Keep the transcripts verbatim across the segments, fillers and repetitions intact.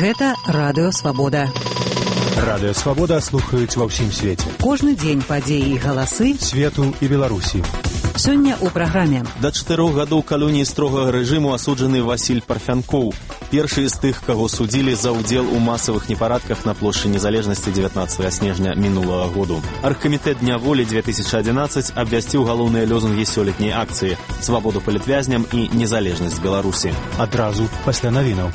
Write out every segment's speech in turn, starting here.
Гэта Радыё Свабода. Радыё Свабода слухаюць ва ўсім свеце. Кожны дзень падзеі і галасы свету і Беларусі. Сёння ў праграме. Да чатырох гадоў калоніі строгага рэжыму асуджаны Васіль Парфянкоў. Першы з тых, каго судзілі за ўдзел у масавых непарадках на плошчы Незалежнасці дзевятнаццатага снежня мінулага году. Аргкамітэт Дня волі две тысячи одиннадцать абвясціў галоўныя лозунгі сёлетняй акцыі: свабоду палітвязням і незалежнасць Беларусі. Адразу пасля навінаў.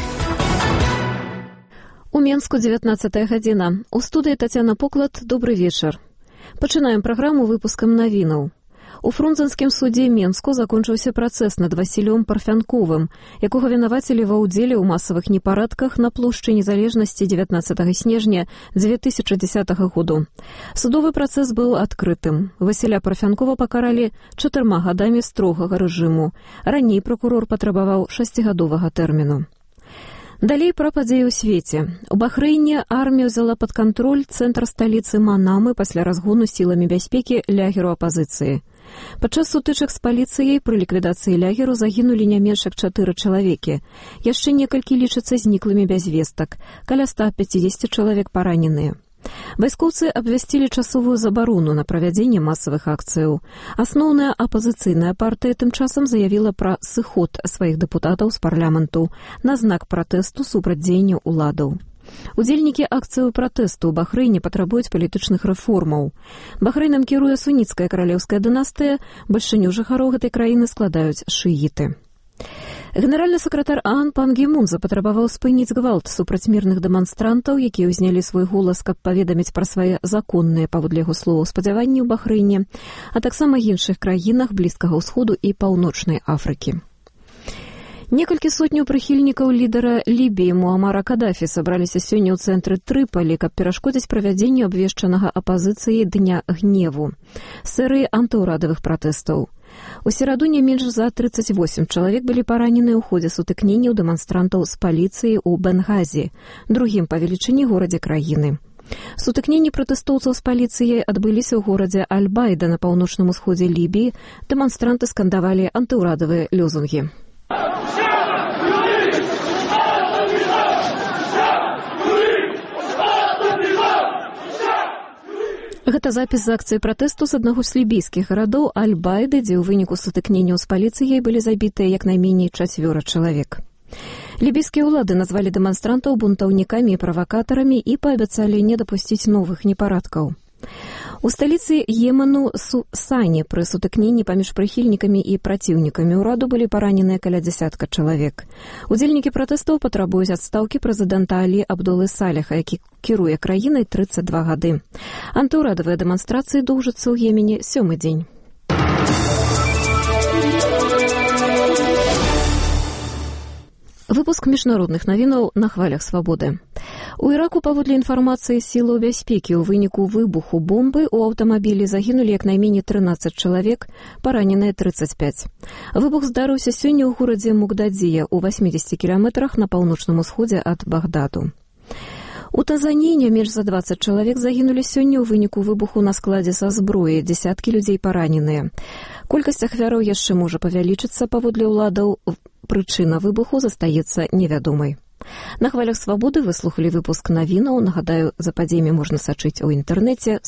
У Менску дзевятнаццатая гадзіна. У студыі Тацяна Поклад. Добры вечар. Пачынаем праграму выпускам навінаў. У фрунзенскім судзе Менску закончыўся працэс над Васілём Парфянковым, якога вінавацілі ва ўдзеле ў масавых непарадках на плошчы Незалежнасці дзевятнаццатага снежня две тысячи десятого году. Судовы працэс быў адкрытым. Васіля Парфянкова пакаралі чатырма гадамі строгага рэжыму. Раней пракурор патрабаваў шасцігадовага тэрміну. Далей пра падзеі ў свеце. У Бахрэйне армія ўзяла пад кантроль цэнтр сталіцы Манамы пасля разгону сіламі бяспекі лягеру апазіцыі. Падчас сутычак з паліцыяй пры ліквідацыі лягеру загінулі не менш як чатыры чалавекі. Яшчэ некалькі лічацца зніклымі без вестак. Каля ста пятьдесят чалавек параненыя. Вайскоўцы абвясцілі часовую забарону на правядзенне масавых акцыяў. Асноўная апазіцыйная партыя тым часам заявіла пра сыход сваіх дэпутатаў з парламенту на знак пратэсту супраць дзеяння ўладаў. Удзельнікі акцыяў пратэсту ў Бахрэйне патрабуюць палітычных рэформаў. Бахрэйнам кіруе суніцкая каралеўская дынастыя, бальшыню жыхароў гэтай краіны складаюць шыіты. Генеральны сакратар ААН Пан Гі Мун запатрабаваў спыніць гвалт супраць мірных дэманстрантаў, якія ўзнялі свой голас, каб паведаміць пра свае законныя, паводле яго словаў, спадзяванні ў Бахрэйне, а таксама іншых краінах Блізкага ўсходу і Паўночнай Афрыкі. Некалькі сотняў прыхільнікаў лідара Лібіі Муамара Кадафі сабраліся сёння ў цэнтры Трыпалі, каб перашкодзіць правядзенню абвешчанага апазіцыяй Дня гневу, серыі антыўрадавых пратэстаў. У сераду не менш за тридцать восемь чалавек былі паранены ў ходзе сутыкненняў дэманстрантаў з паліцыяй у Бенгазі, другім па велічыні горадзе краіны. Сутыкненні пратэстоўцаў з паліцыяй адбыліся ў горадзе Аль-Байда на паўночным усходзе Лібіі. Дэманстранты скандавалі антыўрадавыя лозунгі. Гэта запіс з акцыі пратэсту з аднаго з лібійскіх гарадоў Аль-Байды, дзе ў выніку сутыкненняў з паліцыяй былі забітыя як найменей чацвёра чалавек. Лібійскія ўлады назвалі дэманстрантаў бунтаўнікамі і правакатарамі і паабяцалі не дапусціць новых непарадкаў. У сталіцы Йемену Сані пры сутыкненні паміж прыхільнікамі і праціўнікамі ўраду былі параненыя каля дзясятка чалавек. Удзельнікі пратэстаў патрабуюць адстаўкі прэзідэнта Алі Абдулы Салеха, які кіруе краінай тридцать два гады. Антыўрадавыя дэманстрацыі доўжацца ў Йемене сёмы дзень. Выпуск міжнародных навінаў на хвалях свабоды. У Іраку, паводле інфармацыі сілаў бяспекі, у выніку выбуху бомбы ў аўтамабілі загінулі як найменей трынаццаць чалавек, параненыя тридцать пять. Выбух здарыўся сёння ў горадзе Мугдадзія у восьмидесяти кіламетрах на паўночным усходзе ад Багдаду. У Танзаніі не менш за двадцать чалавек загінулі сёння ў выніку выбуху на складзе са зброі, дзесяткі людзей параненыя. Колькасць ахвяраў яшчэ можа павялічыцца, паводле ўладаў. Прычына выбуху застаецца невядомай. На хвалях свабоды вы слухалі выпуск навінаў. Нагадаю, за падзеямі можна сачыць у інтэрнэце.